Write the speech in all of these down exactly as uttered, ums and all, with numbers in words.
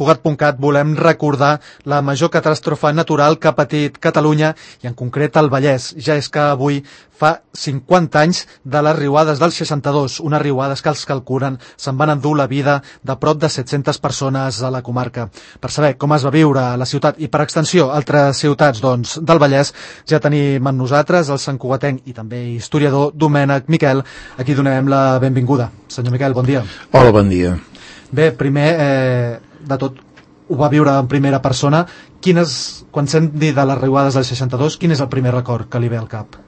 Cugat punt cat volem recordar la major catàstrofe natural que ha patit Catalunya i en concret el Vallès, ja és que avui fa cinquanta anys de les riuades del seixanta-dos, unes riuades que els calculen se'n van endur la vida de prop de set-centes persones a la comarca. Per saber com es va viure a la ciutat i per extensió altres ciutats doncs, del Vallès, ja tenim amb nosaltres el santcugatenc i també historiador Domènec Miquel, a qui donem la benvinguda. Senyor Miquel, bon dia. Hola, bon dia. Bé, primer eh, de tot, ho va viure en primera persona. Quines, quan sent dir de les riuades del seixanta-dos, quin és el primer record que li ve al cap?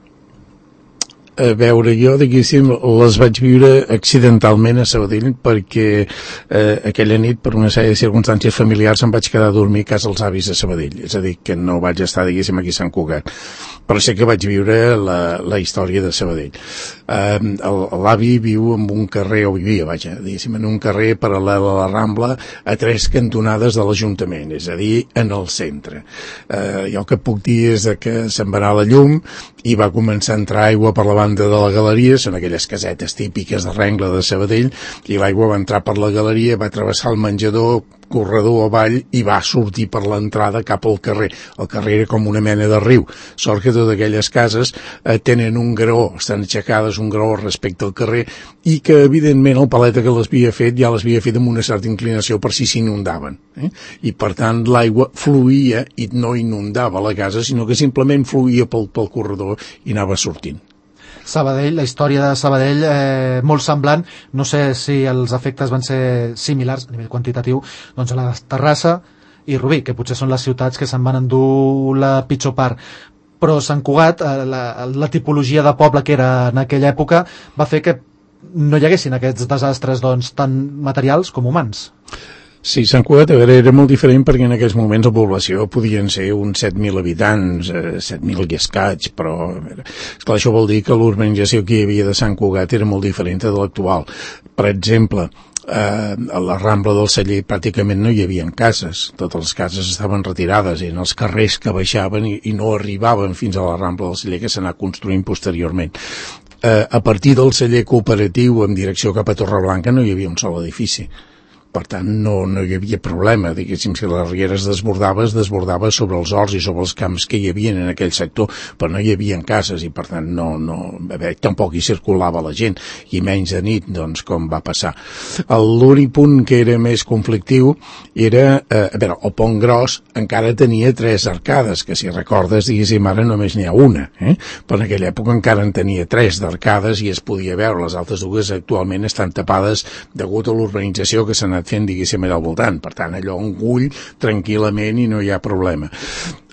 A veure, jo, diguéssim, les vaig viure accidentalment a Sabadell perquè eh, aquella nit, per una sèrie de circumstàncies familiars, em vaig quedar a dormir a casa dels avis a Sabadell. És a dir, que no vaig estar, diguéssim, aquí a Sant Cugat. Però sé que vaig viure la, la història de Sabadell. Eh, L'avi viu en un carrer, o vivia, vaja, diguéssim, en un carrer paral·lel a la Rambla, a tres cantonades de l'Ajuntament, és a dir, en el centre. Eh, jo el que puc dir és que se'n va anar la llum i va començar a entrar aigua per la banda de la galeria, són aquelles casetes típiques de Rengla de Sabadell, i l'aigua va entrar per la galeria, va travessar el menjador, corredor avall, i va sortir per l'entrada cap al carrer. El carrer era com una mena de riu. Sort que totes aquelles cases eh, tenen un graó, estan aixecades un graó respecte al carrer, i que evidentment el paleta que les havia fet ja les havia fet amb una certa inclinació per si s'inundaven. Eh? I per tant l'aigua fluïa i no inundava la casa, sinó que simplement fluïa pel, pel corredor i anava sortint. Sabadell, la història de Sabadell eh, molt semblant, no sé si els efectes van ser similars a nivell quantitatiu, doncs a la de Terrassa i Rubí, que potser són les ciutats que se'n van endur la pitjor part, però Sant Cugat, eh, la, la tipologia de poble que era en aquella època va fer que no hi haguessin aquests desastres doncs, tant materials com humans. Sí, Sant Cugat, a veure, era molt diferent perquè en aquells moments la població podien ser uns set mil habitants, eh, set mil i escaig, però a veure, esclar, això vol dir que l'urbanització que hi havia de Sant Cugat era molt diferent de l'actual. Per exemple, eh, a la Rambla del Celler pràcticament no hi havia cases, totes les cases estaven retirades, eren els carrers que baixaven i, i no arribaven fins a la Rambla del Celler, que s'anà construint posteriorment. Eh, a partir del celler cooperatiu en direcció cap a Torreblanca no hi havia un sol edifici. Per tant, no, no hi havia problema, diguéssim, si la riera es desbordava, es desbordava sobre els horts i sobre els camps que hi havia en aquell sector, però no hi havia cases i, per tant, no, no, a veure, tampoc hi circulava la gent, i menys de nit, doncs, com va passar. L'únic punt que era més conflictiu era, eh, a veure, el Pont Gros encara tenia tres arcades, que si recordes, diguéssim, ara només n'hi ha una, eh? Però en aquella època encara en tenia tres d'arcades i es podia veure, les altres dues actualment estan tapades degut a l'urbanització que s'ha anat fent, diguéssim, allà al voltant. Per tant, allò un gull tranquil·lament i no hi ha problema.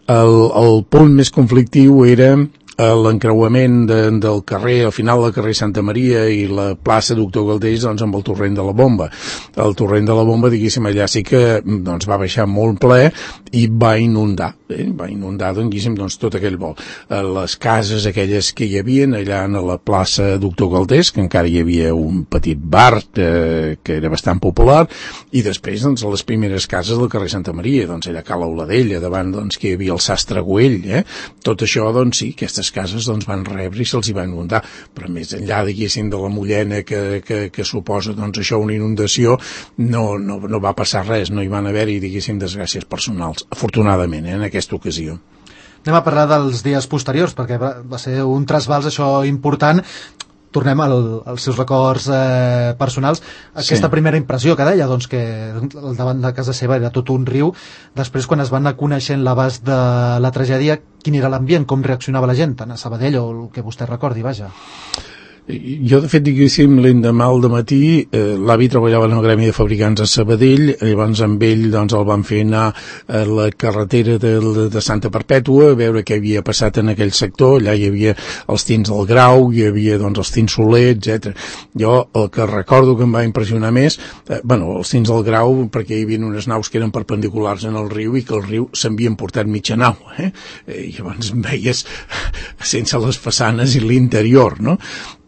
El, el punt més conflictiu era l'encreuament de, del carrer, al final del carrer Santa Maria i la plaça Doctor Galdells, doncs amb el torrent de la Bomba. El torrent de la Bomba, diguéssim, allà sí que doncs, va baixar molt ple i va inundar, eh? va inundar, diguéssim, doncs, tot aquell vol. Les cases aquelles que hi havia allà a la plaça Doctor Galdells, que encara hi havia un petit bar eh, que era bastant popular, i després, doncs, les primeres cases del carrer Santa Maria, doncs, allà a Cala Oladella, davant, doncs, que hi havia el Sastre Güell, eh? Tot això, doncs, sí, aquestes cases doncs, van rebre i se'ls hi va inundar, però més enllà, diguéssim, de la mullena que, que, que suposa doncs, això una inundació, no, no, no va passar res, no hi van haver-hi, diguéssim, desgràcies personals, afortunadament, eh, en aquesta ocasió. Anem a parlar dels dies posteriors, perquè va, va ser un trasbals això important. Tornem al, als seus records eh, personals. Aquesta sí. Primera impressió que deia, doncs, que al davant de casa seva era tot un riu. Després, quan es van anar coneixent l'abast de la tragèdia, quin era l'ambient, com reaccionava la gent, tant a Sabadell o el que vostè recordi, vaja? Jo, de fet, diguéssim, l'endemà al dematí, eh, l'avi treballava en el Gremi de Fabricants a Sabadell, llavors amb ell doncs, el van fer anar a la carretera de, de Santa Perpètua, a veure què havia passat en aquell sector. Allà hi havia els tins del Grau, hi havia doncs, els tins Soler, etcètera. Jo el que recordo que em va impressionar més, eh, bueno, els tins del Grau, perquè hi havia unes naus que eren perpendiculars en el riu i que el riu s'havien portat mitja nau, eh? I llavors veies sense les façanes i l'interior, no?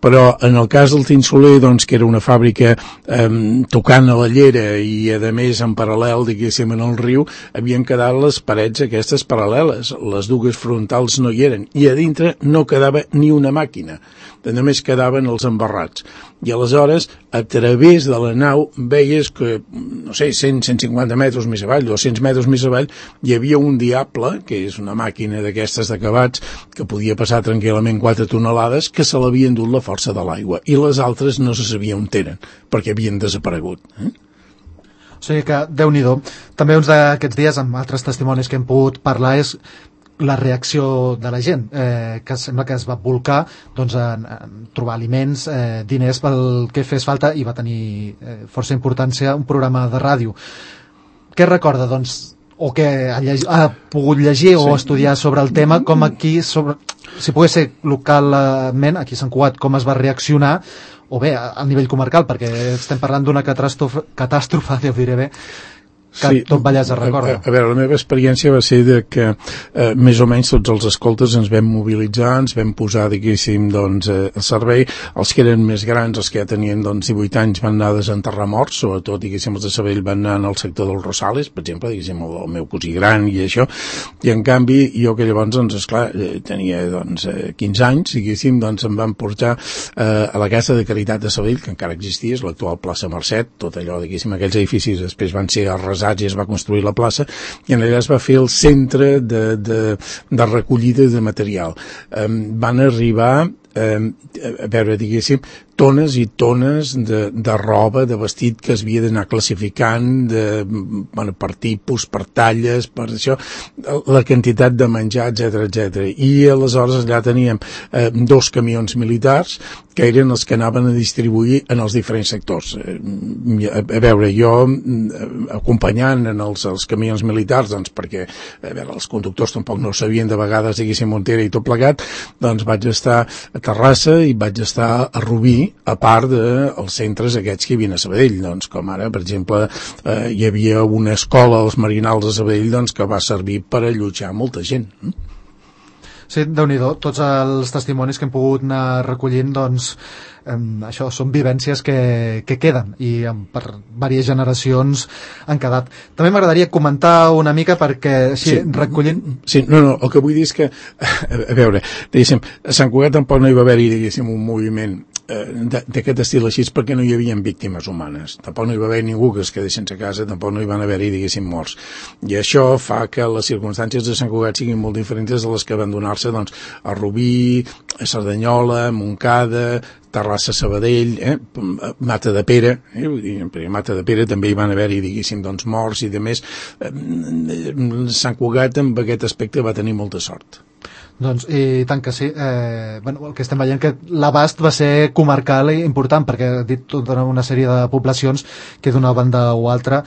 però en el cas del Tint Soler, doncs, que era una fàbrica eh, tocant a la llera i, a més, en paral·lel, diguéssim, en el riu, havien quedat les parets aquestes paral·leles, les dues frontals no hi eren, i a dintre no quedava ni una màquina, només quedaven els embarrats. I aleshores, a través de la nau, veies que, no sé, cent a cent cinquanta metres més avall, dos-cents metres més avall, hi havia un diable, que és una màquina d'aquestes d'acabats, que podia passar tranquil·lament quatre tonelades, que se l'havien dut la força de l'aigua, i les altres no se sabia on eren, perquè havien desaparegut. Eh? O sigui que, Déu-n'hi-do. També uns d'aquests dies, amb altres testimonis que hem pogut parlar, és la reacció de la gent, eh, que sembla que es va volcar doncs, en, en trobar aliments, eh, diners pel que fes falta, i va tenir eh, força importància un programa de ràdio. Què recorda, doncs, o què ha, lleg... ha pogut llegir o sí. estudiar sobre el tema, com aquí, sobre... si pogués ser localment, aquí a Sant Cugat, com es va reaccionar, o bé, a nivell comarcal, perquè estem parlant d'una catàstrofe, catàstrofe, ja ho diré bé, que sí, tot Vallès es recorda. A, a veure, la meva experiència va ser de que eh, més o menys tots els escoltes ens vam mobilitzar, ens vam posar, diguéssim, doncs, eh, a servei. Els que eren més grans, els que ja tenien doncs, divuit anys, van anar a desenterrar morts, sobretot, diguéssim, els de Sabadell van anar al sector dels Rosales, per exemple, diguéssim, el, el meu cosí gran i això, i en canvi, jo que llavors, doncs, esclar, tenia doncs, quinze anys, diguéssim, doncs em van portar eh, a la Casa de Caritat de Sabadell, que encara existia, és l'actual plaça Mercet, tot allò, diguéssim, aquells edificis després van ser arrasats i es va construir la plaça, i en allà es va fer el centre de, de, de recollida de material. Eh, van arribar, eh, a veure, diguéssim, tones i tones de, de roba, de vestit que es havia d'anar classificant de, bueno, per tipus, per talles, per això, la quantitat de menjar, etcètera, etcètera. I aleshores allà teníem eh, dos camions militars que eren els que anaven a distribuir en els diferents sectors. Eh, a, a veure, jo acompanyant en els, els camions militars, doncs perquè a veure, els conductors tampoc no sabien de vegades, diguéssim, on era i tot plegat, doncs vaig estar a Terrassa i vaig estar a Rubí, a part dels de centres aquests que hi havia a Sabadell, doncs, com ara, per exemple, eh, hi havia una escola als Marinals de Sabadell doncs, que va servir per allotjar molta gent. Sí, Déu-n'hi-do, tots els testimonis que hem pogut anar recollint, doncs, eh, això són vivències que, que queden i eh, per diverses generacions han quedat. També m'agradaria comentar una mica perquè així sí, recollint... Sí, no, no, el que vull dir és que, a veure, diguéssim, a Sant Cugat tampoc no hi va haver-hi, diguéssim, un moviment d'aquest estil així perquè no hi havia víctimes humanes, tampoc no hi va haver ningú que es quedés sense casa, tampoc no hi van haver-hi, diguéssim, morts, i això fa que les circumstàncies de Sant Cugat siguin molt diferents de les que van donar-se doncs, a Rubí, a Cerdanyola, a Montcada, Terrassa, Sabadell, eh? Mata de Pere, eh? Vull dir, a Mata de Pere també hi van haver-hi, diguéssim, doncs, morts i de més. Sant Cugat en aquest aspecte va tenir molta sort. Doncs, i tant que sí. Eh, bueno, el que estem veient que l'abast va ser comarcal i important, perquè ha dit tota una sèrie de poblacions que d'una banda o altra.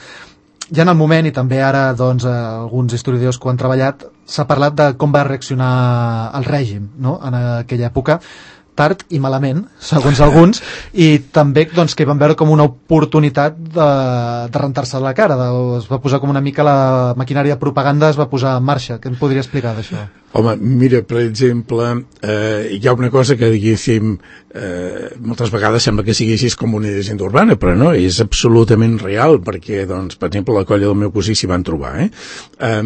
Ja en el moment, i també ara doncs, alguns historiadors que ho han treballat, s'ha parlat de com va reaccionar el règim, no?, en aquella època, tard i malament, segons alguns, i també doncs, que van veure com una oportunitat de, de rentar-se la cara, de, es va posar com una mica la maquinària de propaganda, es va posar en marxa. Què em podria explicar d'això? Home, mira, per exemple, eh, hi ha una cosa que, diguéssim, eh, moltes vegades sembla que sigui així com una llegenda urbana, però no, és absolutament real, perquè, doncs, per exemple, la colla del meu cosí s'hi van trobar, eh? Eh,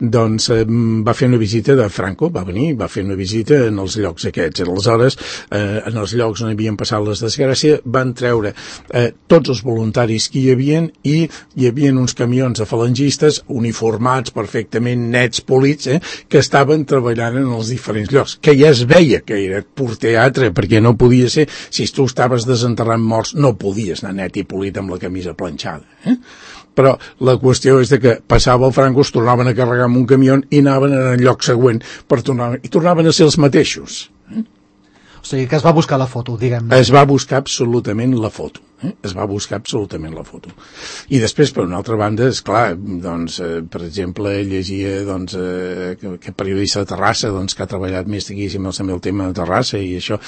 doncs, eh, va fer una visita de Franco, va venir, va fer una visita en els llocs aquests, aleshores, eh, en els llocs on havien passat les desgràcies, van treure eh, tots els voluntaris que hi havien i hi havia uns camions de falangistes uniformats perfectament nets, polits, eh, que estaven treballant en els diferents llocs, que ja es veia que era pur teatre, perquè no podia ser, si tu estaves desenterrant morts, no podies anar net i polit amb la camisa planxada, eh? Però la qüestió és de que passava el Franco, es tornaven a carregar amb un camió i anaven en el lloc següent per tornar, i tornaven a ser els mateixos, eh? O sigui, que es va buscar la foto, diguem-ne. Es va buscar absolutament la foto. Eh? Es va buscar absolutament la foto. I després, per una altra banda, és clar, doncs, eh, per exemple, llegia doncs, eh, que, que periodista de Terrassa doncs, que ha treballat més diguéssim també el tema de Terrassa i això,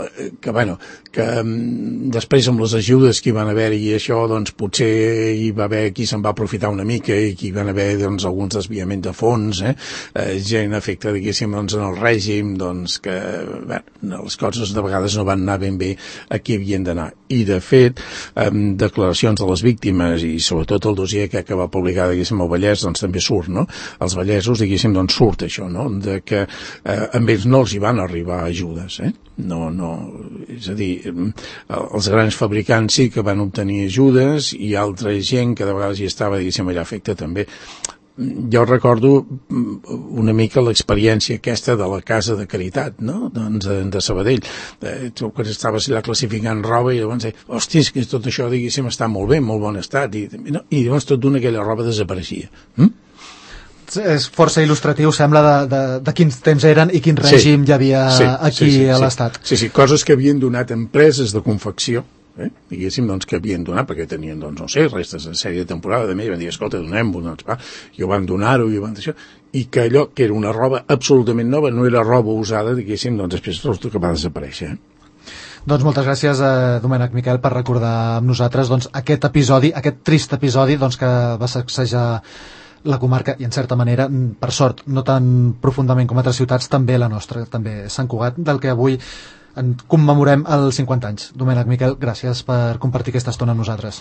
eh, que bueno, que um, després amb les ajudes que hi van haver i això, doncs potser hi va haver qui se'n va aprofitar una mica i qui hi van haver doncs, alguns desviaments de fons, eh? Eh, gent afecta diguéssim doncs, en el règim, doncs que bueno, les coses de vegades no van anar ben bé a qui havien d'anar. I de fet, amb declaracions de les víctimes i sobretot el dossier que, que va publicar diguéssim el Vallès doncs també surt, no? Els vallesos diguéssim doncs surt això, no? De que eh, amb ells no els hi van arribar ajudes, eh? No, no, és a dir, els grans fabricants sí que van obtenir ajudes i altra gent que de vegades hi estava diguéssim allà afecta també. Jo recordo una mica l'experiència aquesta de la casa de caritat, no? Doncs de Sabadell. Eh, tu quan estaves allà classificant roba i llavors deia, hòstia, és que tot això diguéssim està molt bé, molt bon estat i, no? I llavors tot d'una aquella roba desapareixia. Hm? És força il·lustratiu, sembla, de, de, de quins temps eren i quin règim sí, hi havia sí, aquí sí, sí, a l'Estat. Sí, sí, coses que havien donat empreses de confecció, eh? diguéssim, doncs, que havien donat, perquè tenien, doncs, no sé, restes de sèrie de temporada, de més, i van dir, escolta, donem-ho, doncs, va, i ho van donar-ho, i ho van deixar, i que allò, que era una roba absolutament nova, no era roba usada, diguéssim, doncs, després resulta que va desaparèixer, eh? Doncs moltes gràcies a Domènec Miquel per recordar amb nosaltres doncs, aquest episodi, aquest trist episodi doncs, que va sacsejar la comarca i en certa manera, per sort, no tan profundament com altres ciutats, també la nostra, també Sant Cugat, del que avui en commemorem els cinquanta anys. Domènec Miquel, gràcies per compartir aquesta estona amb nosaltres.